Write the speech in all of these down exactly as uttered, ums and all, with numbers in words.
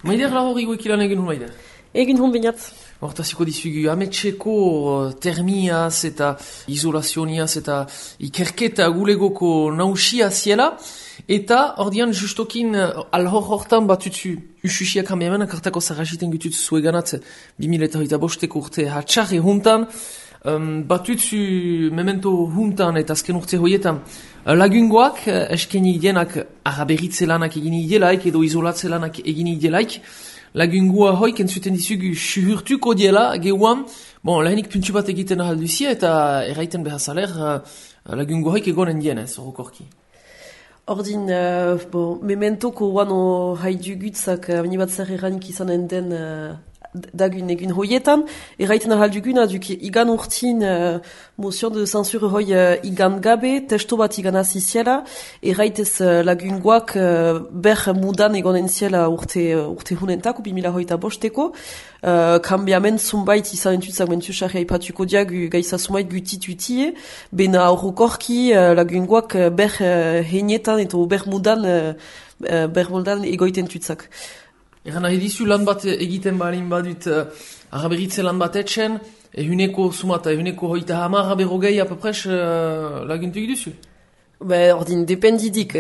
Maider la hori goekilan egin hun maider? Egin hun bainat. Hortaziko dizugu, ametxeko termiaz eta izolazioniaz eta ikerketa gulegoko nausia ziela, eta ordian justokin alhor hortan batutzu ususiak hameamen akartako zarrasiten gutut zueganat bimila eta hoita bosteko urte hatxarri huntan, um, batutzu memento huntan eta azken urte hoietan lagungoak eskeni idenak araberitze lanak egin idelaik edo izolatze lanak egin idelaik, lagungua hoik entzuten dizugu suhurtuko diela gehuan, bon, lehenik puntu bat egiten ahalduzia eta erraiten behazaler uh, lagungua hoik egonen dienez, horokorki. Ordin, uh, bon, mementoko wano haidugutzak abini bat zer erranik izanen den uh, dagun egun hoietan, erraiten ahalduguna duk igan urtin uh, motion de censure hoi uh, igan gabe, testo bat igan aziziela, erraitez uh, lagungoak uh, ber mudan egonen ziela urte, uh, urte hunentak, ubi mila hoita bosteko, uh, kambiamen zumbait izan entutzak mentusarri haipatuko diagu gaiza zumbait gutitutie, bena horrokorki uh, lagungoak uh, ber uh, heinetan eta ber mudan, uh, uh, ber mudan egoiten tutzak. Egan nahi dizu lan bat egiten balin badut uh, araberitze lan bat etxen, ehuneko sumata, ehuneko hoita hamar aberogei apapres uh, laguntu egiduzu? Be, ordin, dependidik.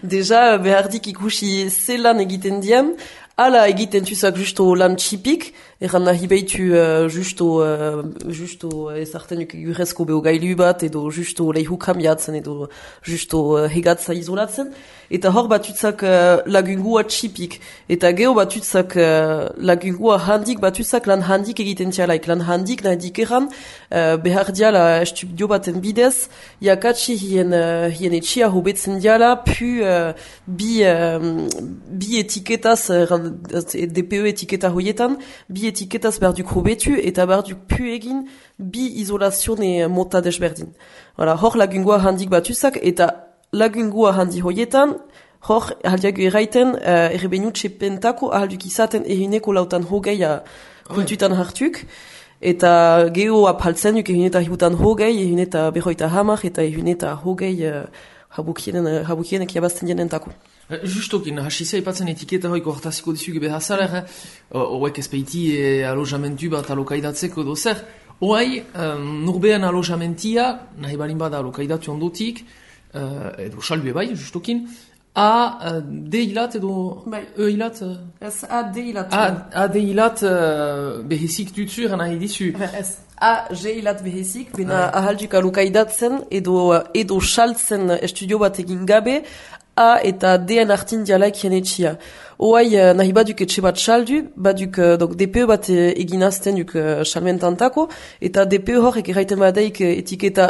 Deja, behardik ikusi ze lan egiten dian, ala egiten tuzak justo lan txipik, erran nahi behitu uh, justo, uh, justo ezartenuk egurezko behogailu bat, edo justo leihu kambiatzen, edo justo uh, hegatza izolatzen, eta hor batutzak uh, lagungua txipik, eta geho batutzak uh, lagungua handik, batutzak lan handik egiten tialaik, lan handik nahi dikeran, uh, behar diala estudio baten bidez, jakatsi hien, uh, hien etxia hobetzen diala, pu uh, bi, uh, bi etiketaz, uh, D P E etiketa hoietan, bi etiketaz berduk hobetu, eta berduk pu egin bi izolazione mota desberdin. Hala, hor lagungua handik batuzak, eta lagungua handi hoietan, hor ahaldiago erraiten, uh, errebenutxe pentako ahalduk izaten eruneko lautan hogeia kontutan hartuk, eta geho apaltzen duk eruneta hiutan hogei, eruneta berroita hamar, eta eruneta hogei uh, habukienek jabazten dienentako. Justokin, hasizia ipatzen etiketa hoiko hortaziko dizuge behazaler, eh? Oek ezpeiti e, alojamentu bat alokaidatzeko dozer. Oai, um, nurbean alojamentia, nahi balin bada alokaidatu ondotik, uh, edo salbue bai, justokin, A, uh, D hilat edo bai. E hilat? Uh, ez A, D hilat. A, A, D hilat uh, behezik dutzur nahi dizu. Ez A, G hilat behezik, bena ah. ahalduk alokaidatzen edo, edo saltzen estudio bat egin gabe, A eta D-en artin dialaik jenetxia. Oai, uh, nahi baduk etxe bat saldu, baduk uh, donc D P E bat uh, eginazten duk uh, salmentantako, eta D P E horrek erraiten badaik uh, etiketa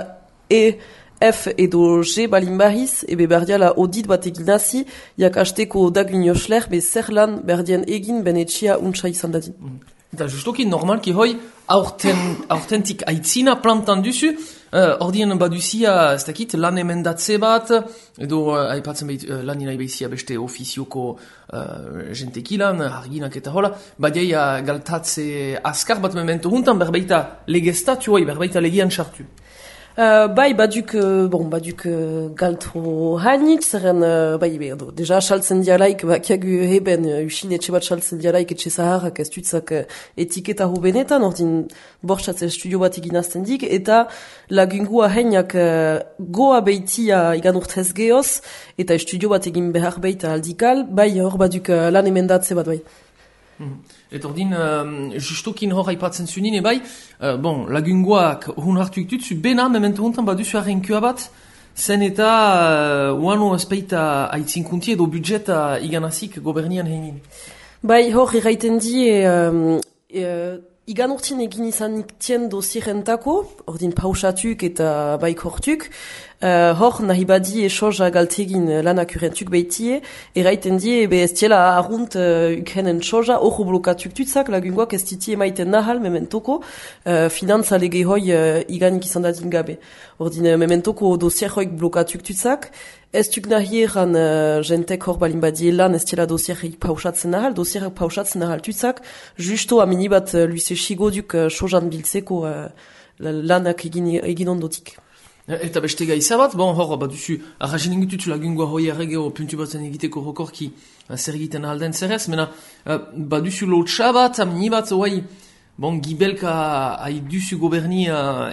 E, F edo G balin bahiz, ebe berdiala audit bat eginazi, jak hasteko dagun josler, be zer lan berdien egin ben etxia untsa izan dadin. Mm. Eta justoki normalki hoi, aurten, aurtentik aitzina plantan duzu, uh, ordien baduzia, ez dakit, lan emendatze bat, edo uh, aipatzen behit, uh, lan inai behizia beste ofizioko uh, jentekilan, arginak eta hola, badeia galtatze askar bat memento huntan, berbeita legestatu hoi, berbeita legian sartu. Uh, bai, baduk, uh, bon, baduk uh, galtro hanit, zerren, uh, bai, be, do, deja saltzen dialaik, bakiagu heben, uh, usin etxe bat saltzen dialaik etxe zaharrak ez dutzak uh, etiketa hobenetan, ordin bortxatze estudio bat eginazten dik, eta lagungua heinak uh, goa beitia igan urtez geoz, eta estudio bat egin behar beita aldikal, bai, hor baduk uh, lan emendatze bat, bai. Mm. Eta ordin, uh, justokin hor haipatzen zunine bai, uh, bon, lagungoak hun hartu ikutzu, bena, memento hontan baduzu arrenkua bat, zen eta uh, uano espeita aitzinkunti edo budjeta iganazik gobernian heinin. Bai, hor erraiten di, um, uh, igan urtin egin izanik tien dosierentako, ordin pausatuk eta baik hortuk, Uh, hor nahi badi esoja galtegin lanak urentuk behitie, erraiten die, ebe ez tiela arrunt uh, ukhenen soja, hor blokatuk tutzak, lagungoak ez titi emaiten nahal mementoko, uh, finantza lege hoi uh, iganik izan dadin gabe. Ordin, uh, mementoko dosier hoik blokatuk tutzak, ez tuk nahi eran uh, jentek hor balin badi elan ez tiela dosierrik pausatzen nahal, dosierrik pausatzen nahal tutzak, justo aminibat uh, luise xigoduk uh, sojan biltzeko uh, lanak egin, egin ondotik. Eta beste gaiza bat, bon, hor, bat duzu, arrazen ingutut lagungoa hoi erregeo puntu batzen egiteko hokorki zer egiten ahalden zerrez, mena, bat duzu lotxa bat, amni bat, oai, bon, gibelka hai duzu goberni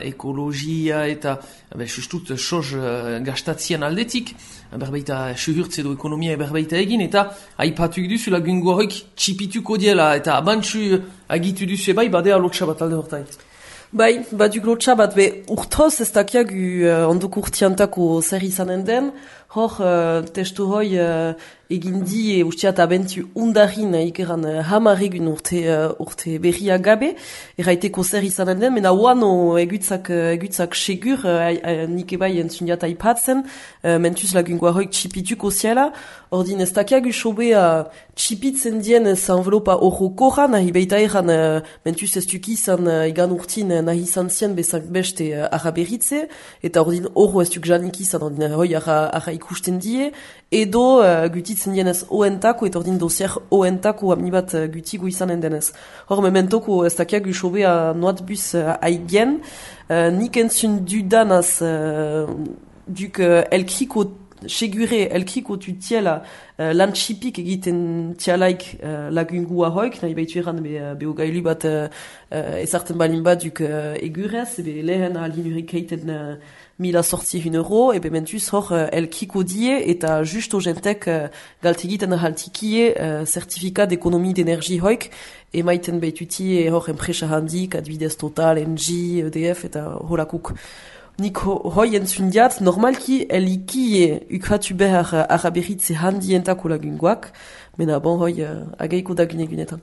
ekologia eta, be, sustut, soz gastatzien aldetik, berbaita suhurtz edo ekonomia berbaita egin, eta haipatuk duzu lagungoa hoik txipituko diela, eta abantzu agitu duzu ebai, badea lotxa bat alde hortait. Bai, baduk lotxa bat, be, urtoz ez dakiagu uh, ondok urtiantako zer izanen den, hor, uh, testu hoi uh, egindi e usteat abentu undarin uh, ikeran uh, hamaregun urte, uh, urte berria gabe, erraiteko zer izanen den, mena oano egutzak, uh, egutzak segur, uh, uh, nik ebai entzuniat aipatzen, uh, mentuz lagungoa hoik txipituko ziela, ordin ez dakiagu sobe uh, txipitzen dien ez envelopa horrokora, nahi beita eran uh, mentuz ez duk izan uh, igan urtin uh, nahi izan zien bezak beste uh, araberitze, eta ordin horro ez duk janik izan, ordin hoi ara, ara ikusten die, edo uh, gutitzen dienez oentako, eta ordin dosier oentako amni bat uh, gutigo izanen denez. Hor mementoko ez dakiagu sobe uh, noat bus uh, aigen, uh, nik entzun dudanaz uh, duk uh, elkriko segure elkriko tu tiela uh, lan txipik egiten tialaik uh, lagungua hoik, nahi baitu eran be, uh, beogailu bat uh, uh, ezarten balin bat duk uh, egurez, ebe lehen alin urikeiten uh, mila sortzi hun euro, ebe mentuz hor uh, elkriko die eta justo jentek uh, galtegiten haltikie uh, certifikat d'ekonomie d'energie hoik, emaiten baituti hor enpresa handik, adbidez Total, N G, E D F eta holakuk. Nik hoi entzundiat, normalki elikie ukratu behar araberitze handientako lagungoak, mena bon hoi uh, ageiko dagun egunetan.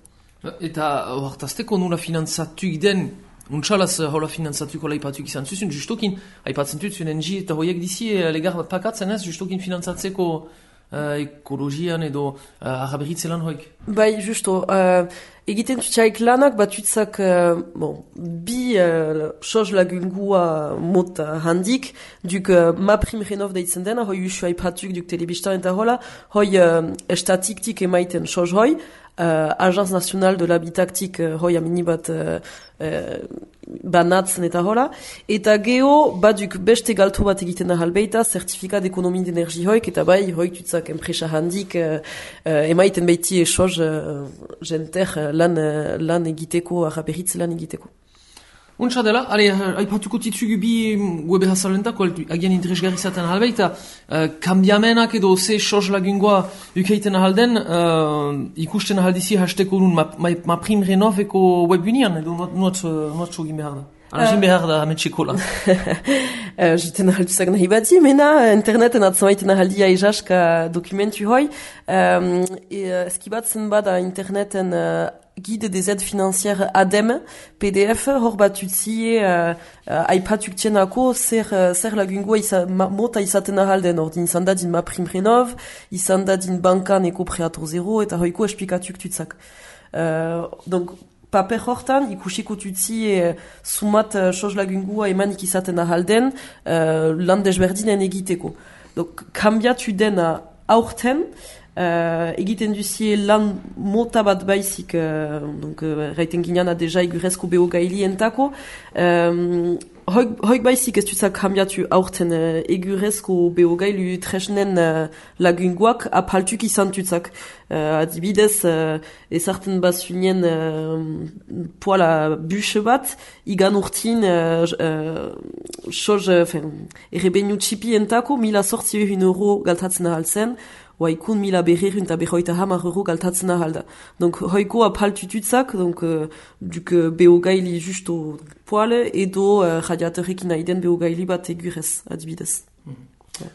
Eta hortazteko nula finanzatuk den, untxalaz hola finanzatuko laipatuk izan zuzun, justokin, haipatzen tutzun N G eta hoiek dizi legar bat pakatzen ez, justokin finanzatzeko uh, ekologian edo uh, araberitze lan hoik. Bai, justo, uh, egiten tutsaik lanak batutzak uh, bon, bi uh, soz lagungua mot uh, handik, duk uh, ma prim renov deitzen dena, hoi usu haipatuk duk telebistan eta hola, hoi uh, estatiktik emaiten soz hoi, uh, Agence Nationale de l'Habitaktik uh, hoi amini bat uh, uh, banatzen eta hola, eta geho baduk beste galto bat egiten da halbeita, certifikat d'ekonomie d'energie hoik, eta bai hoik tutzak enpresa handik uh, uh, emaiten beiti soz uh, jenter uh, lan, uh, lan egiteko, araberitze lan egiteko. Untsa dela, ale, haipatuko titzugu bi webe hazalentako, agian interesgarri zaten halbeita, uh, kambiamenak edo ze soz lagungoa ukeiten ahalden, uh, ikusten ahaldizi hasteko nun ma, ma, ma prim renoveko webunian, edo nuat sogin behar da. Anazin behar da hametxeko lan. Jiten ahalduzak nahi badi, mena interneten atzamaiten ahaldia ezaska dokumentu hoi, um, e, eskibatzen bada interneten uh, guide des aides financières A D E M, P D F, hor bat utzie uh, uh, aipatuk tienako zer, uh, zer lagungoa isa, ma, mota izaten ahalden, ordin izan dadin ma prim renov, izan dadin bankan eko preator zero, eta hoiko espikatuk tutzak. Uh, donc, paper hortan, ikusiko tutzi e, sumat uh, soz lagungua emanik izaten ahalden uh, lan desberdinen egiteko. Donc, kambiatu dena aurten, uh, egiten duzie lan mota bat baizik, uh, donc, uh, raiten gineana deja igurezko behogaili entako, um, Hoik, hoik baizik ez dutzak kambiatu aurten uh, egurezko behogailu tresnen uh, lagungoak apaltuk izan dutzak. Uh, adibidez, uh, ezarten bazunien uh, poala buse bat, igan urtin uh, uh, soz, uh, errebenu txipi entako, mila sortzi ehun euro galtatzen ahaltzen, oaikun mila berrerun eta berroita hamar euro galtatzen ahalda. Donc, hoiko apaltututzak, donc, uh, duk uh, behogaili justo poale, edo uh, radiatorekin aiden behogaili bat egurez, adibidez. Mm-hmm. Yeah.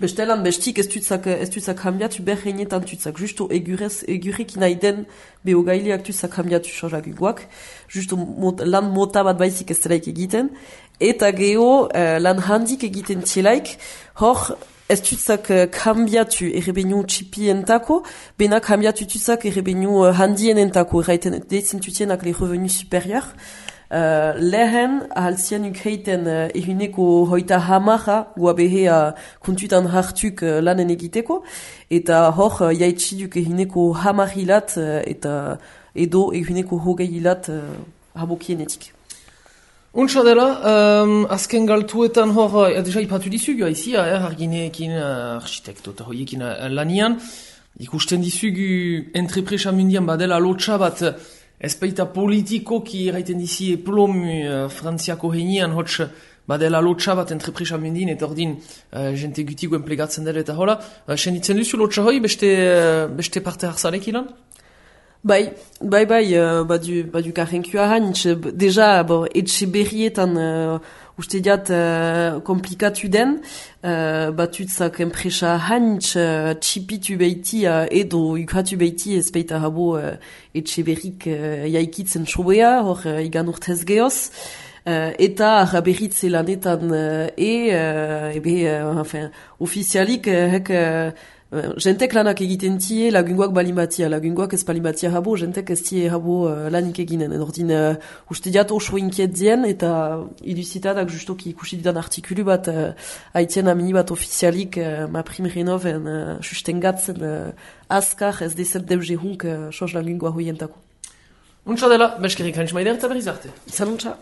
Bestelan, bestik ez tutzak, ez tutzak hambiatu berreinetan tutzak, justo egurez, egurekin aiden behogailiak tutzak hambiatu sozaguguak, justo mot, lan mota bat baizik ez delaik egiten, eta geho uh, lan handik egiten tielaik, hor, ez tutzak uh, kambiatu errebenu txipientako, bena kambiatu tutzak errebenu uh, handienentako, erraiten deitzen tutienak le revenu superior. Uh, lehen, ahaltzien ukreiten uh, ehuneko hoita hamaja guabehea kontutan hartuk uh, lanen egiteko, eta hor uh, jaitsiduk ehuneko hamahilat uh, eta edo ehuneko hogeilat uh, habokienetik. Untsa dela, um, azken galtuetan hor, uh, deja ipatu dizugu, haizia, eh, argineekin, uh, architekto eta hoiekin uh, lanian, ikusten dizugu entrepresa mundian badela lotxa bat, ez baita politikoki eraiten dizi eplomu uh, frantziako heinean, hotx badela lotxa bat entrepresa mundin, eta ordin uh, jente gutigo enplegatzen dela eta hola. Uh, senditzen duzu lotxa hoi, beste, uh, beste parte harzarek ilan? Bai, bai, bai, uh, badu, badu karrenkua hanitz, deja, bo, etxe berrietan, uh, uste diat, uh, komplikatu den, uh, batutzak enpresa hanitz, uh, txipitu behiti, uh, edo ukatu behiti, ez baita habo, uh, etxe berrik, uh, jaikitzen sobea, hor, uh, igan urtez gehoz, uh, eta arraberritze lanetan, uh, e, uh, ebe, uh, enfin, ofizialik, uh, hek, uh, jentek lanak egiten tie lagungoak balimatia, lagungoak ez balimatia habo, jentek ez tie habo uh, lanik eginen. Ordin, uh, uste diat oso inkiet dien, eta iduzitadak justoki ikusi didan artikulu bat, uh, haitien amini bat ofizialik, uh, ma prim renoven, uh, sustengatzen, uh, azkar ez dezet deuze hunk, uh, sos lagungoa hoientako. Untsa dela, beskerik hanitz maider eta berriz arte. Izan untsa.